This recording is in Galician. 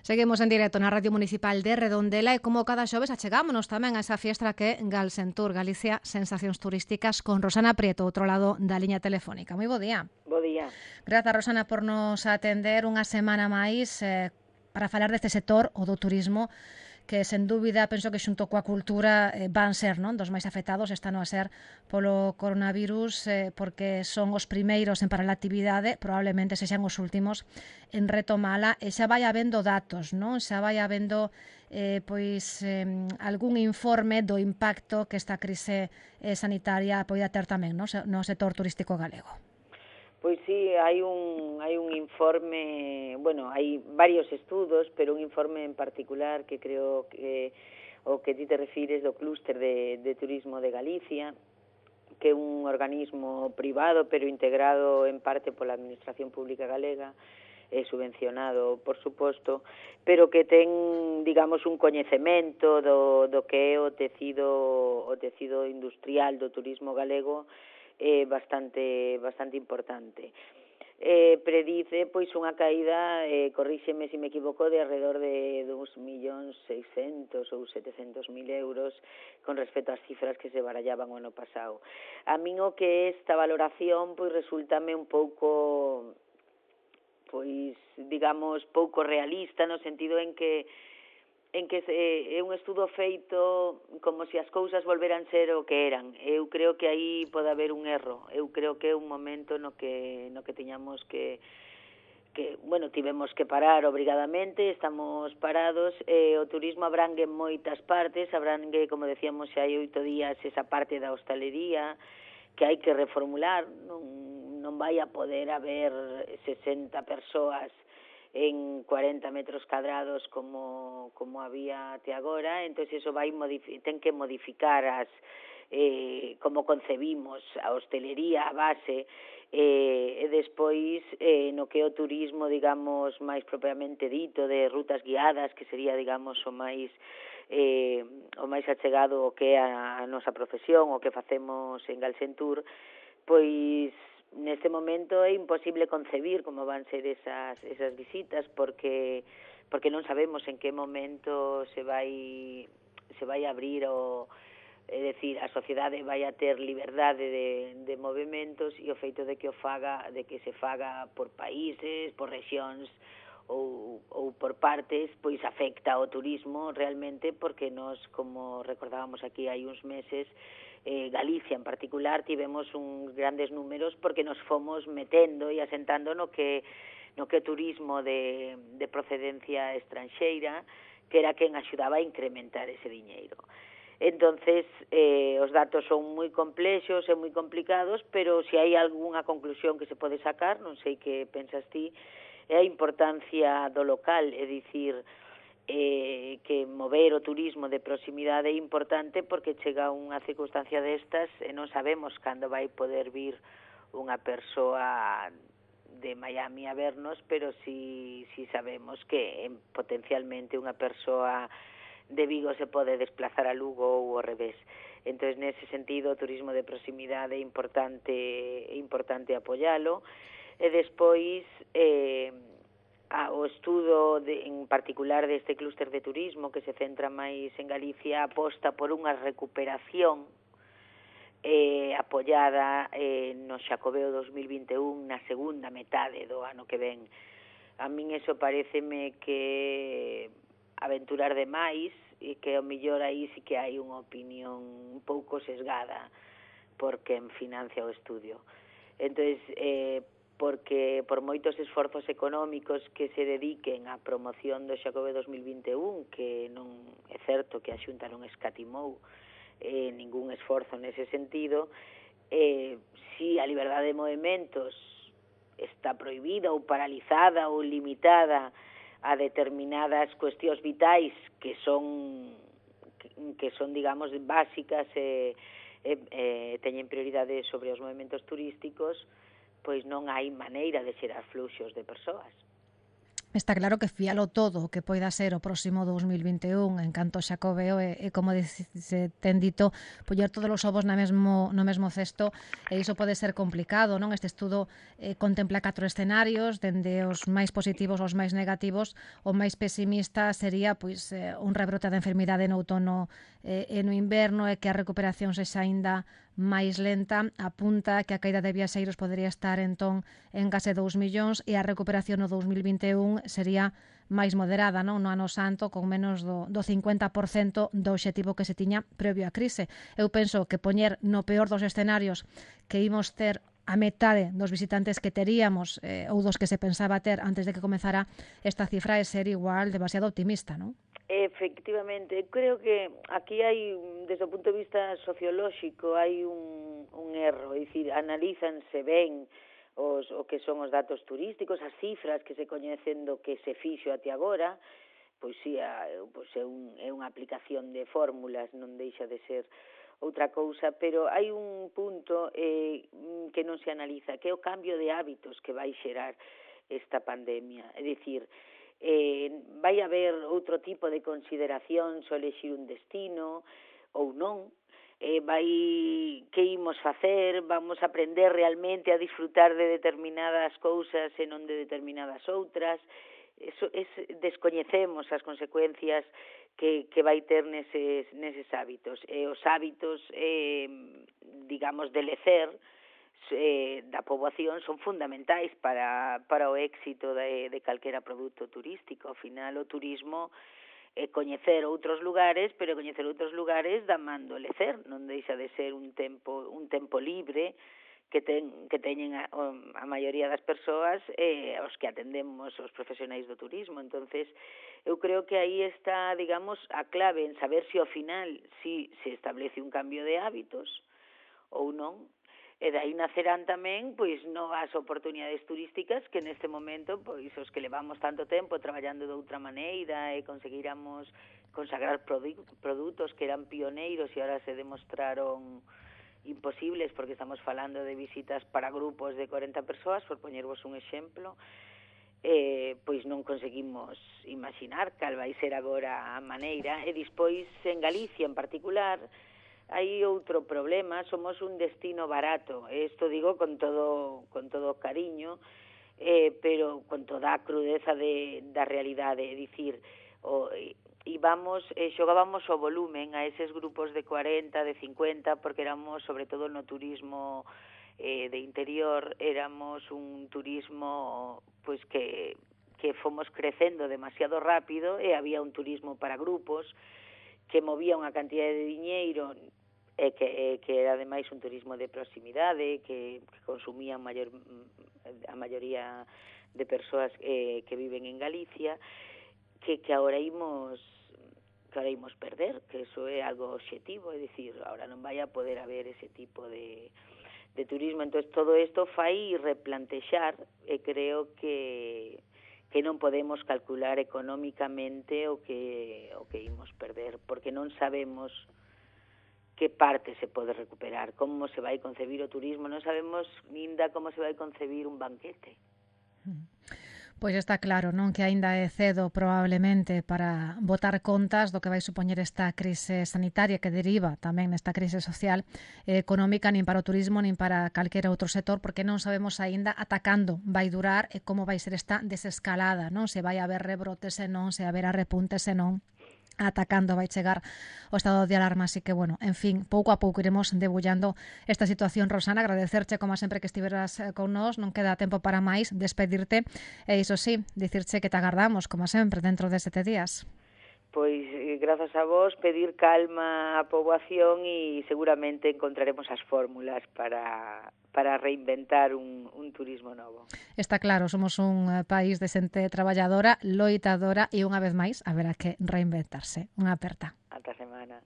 Seguimos en directo na Radio Municipal de Redondela e como cada xoves achegámonos tamén a esa fiestra que é Galsentur, Galicia Sensacións Turísticas, con Rosana Prieto, outro lado da liña telefónica. Moi bo día. Bo día. Grazas, Rosana, por nos atender unha semana máis para falar deste sector, o do turismo, que sen dúbida penso que xunto coa cultura van ser non dos máis afectados, están a ser polo coronavirus, porque son os primeiros en parar a actividade, probablemente sexan os últimos en retomala, e xa vai habendo datos, non? Xa vai habendo algún informe do impacto que esta crise sanitaria poida ter tamén no sector turístico galego. Pois sí, hai un informe, bueno, hai varios estudos, pero un informe en particular que creo que o que ti te refires do clúster de turismo de Galicia, que é un organismo privado pero integrado en parte pola Administración Pública Galega, subvencionado, por suposto, pero que ten, digamos, un coñecemento do que é o tecido industrial do turismo galego bastante importante. Predice pois unha caída, corríxeme se me equivoco, de alrededor de 2.600.000 ou 700.000 euros con respecto ás cifras que se barallaban o ano pasado. A min o que esta valoración pois resultame un pouco, pois digamos, pouco realista, no sentido en que é un estudo feito como se as cousas volveran ser o que eran. Eu creo que aí pode haber un erro. Eu creo que é un momento no que tiñamos que bueno, tivemos que parar obrigadamente, estamos parados, o turismo abrangue moitas partes, abrangue, como decíamos, xa hai 8 días, esa parte da hostalería, que hai que reformular, non vai a poder haber 60 persoas en 40 metros cadrados como había até agora, entón iso ten que modificar como concebimos a hostelería, a base, e despois no que é o turismo, digamos, máis propiamente dito, de rutas guiadas, que sería, digamos, o máis achegado o que é a nosa profesión, o que facemos en Galsentur, pois neste momento é imposible concebir como van ser esas visitas porque non sabemos en que momento se vai abrir é dicir, a sociedade vai a ter liberdade de movimentos e o feito de que se faga por países, por rexións ou por partes, pois afecta ao turismo realmente, porque nós, como recordábamos aquí hai uns meses, Galicia en particular tivemos uns grandes números porque nos fomos metendo e asentando no que turismo de procedencia estranxeira, que era quen axudaba a incrementar ese diñeiro. Entonces, os datos son moi complexos e moi complicados, pero se hai algunha conclusión que se pode sacar, non sei que pensas ti, é a importancia do local, é dicir, que mover o turismo de proximidade é importante porque chega unha circunstancia destas e non sabemos cando vai poder vir unha persoa de Miami a vernos, pero si sabemos que potencialmente unha persoa de Vigo se pode desplazar a Lugo ou ao revés. Entón, nese sentido, o turismo de proximidade é importante apoialo. E despois o estudo en particular deste clúster de turismo que se centra máis en Galicia aposta por unha recuperación apoiada no Xacobeo 2021 na segunda metade do ano que ven. A min eso pareceme que aventurar demais e que ao mellor aí sí que hai unha opinión un pouco sesgada por quen financia o estudio. Entón, porque por moitos esforzos económicos que se dediquen á promoción do Xacobeo 2021, que non é certo que a Xunta non escatimou ningún esforzo nese sentido, si a liberdade de movimentos está prohibida ou paralizada ou limitada a determinadas cuestións vitais que son digamos, básicas e teñen prioridade sobre os movimentos turísticos, pois non hai maneira de xerar fluxos de persoas. Está claro que fíalo todo o que poida ser o próximo 2021 en canto Xacobeo como se ten dito, poñer todos os ovos no mesmo cesto, e iso pode ser complicado, non? Este estudo contempla 4 escenarios, dende os máis positivos aos máis negativos. O máis pesimista sería un rebrote da enfermidade no outono e no inverno, e que a recuperación sexa aínda máis lenta. Apunta que a caída de viaxeiros podería estar entón en case 2 millóns, e a recuperación no 2021 sería máis moderada, non? No ano santo, con menos do 50% do obxectivo que se tiña previo á crise. Eu penso que poñer no peor dos escenarios que imos ter a metade dos visitantes que teríamos ou dos que se pensaba ter antes de que comezara esta cifra é ser igual demasiado optimista, non? Efectivamente, creo que aquí hai, desde o punto de vista sociolóxico, hai un erro, é dicir, analízanse ben o que son os datos turísticos, as cifras que se coñecen do que se fixo até agora, pois sí, é unha aplicación de fórmulas, non deixa de ser outra cousa, pero hai un punto que non se analiza, que é o cambio de hábitos que vai xerar esta pandemia. É dicir, vai haber outro tipo de consideración ao elexir un destino ou non, que imos facer, vamos a aprender realmente a disfrutar de determinadas cousas e non de determinadas outras. Descoñecemos as consecuencias que vai ter neses hábitos. Os hábitos, digamos, de lecer da poboación son fundamentais para o éxito de calquera produto turístico. Ao final, o turismo é coñecer outros lugares, pero coñecer outros lugares da man do lecer, non deixa de ser un tempo libre que teñen a maioría das persoas aos que atendemos os profesionais do turismo. Entonces, eu creo que aí está, digamos, a clave en saber se ao final se establece un cambio de hábitos ou non. E dai nacerán tamén novas oportunidades turísticas que neste momento os que levamos tanto tempo traballando de outra maneira e conseguiramos consagrar produtos que eran pioneiros e ahora se demostraron imposibles, porque estamos falando de visitas para grupos de 40 persoas, por poñervos un exemplo, pois non conseguimos imaginar cal vai ser agora a maneira. E despois en Galicia en particular hai outro problema, somos un destino barato, isto digo con todo cariño, pero con toda a crudeza da realidade, é dicir, xogábamos o volumen a eses grupos de 40, de 50, porque éramos, sobre todo no turismo de interior, éramos un turismo que fomos crecendo demasiado rápido, e había un turismo para grupos que movía unha cantidad de diñeiro que era ademais un turismo de proximidade, que consumían a maioría de persoas que viven en Galicia, que agora imos perder, que eso é algo obxectivo, é dicir, agora non vai a poder haber ese tipo de turismo. Entón, todo isto fai replantexar, e creo que non podemos calcular económicamente o que imos perder, porque non sabemos que parte se pode recuperar, como se vai concebir o turismo, non sabemos ninda como se vai concebir un banquete. Pois está claro, non, que aínda é cedo probablemente para botar contas do que vai supoñer esta crise sanitaria que deriva tamén nesta crise social e económica, nin para o turismo nin para calquera outro sector, porque non sabemos aínda ata cando vai durar e como vai ser esta desescalada, non? Se vai haber rebrotes e non, se haberá repuntes e non, ata cando vai chegar o estado de alarma. Así que, bueno, en fin, pouco a pouco iremos debullando esta situación. Rosana, agradecerche como sempre que estiveras con nós, non queda tempo para máis, despedirte e iso sí, dicirche que te agardamos como sempre dentro de 7 días. Pois, grazas a vos, pedir calma á poboación e seguramente encontraremos as fórmulas para reinventar un turismo novo. Está claro, somos un país de xente traballadora, loitadora e unha vez máis haberá que reinventarse. Unha aperta. Ata semana.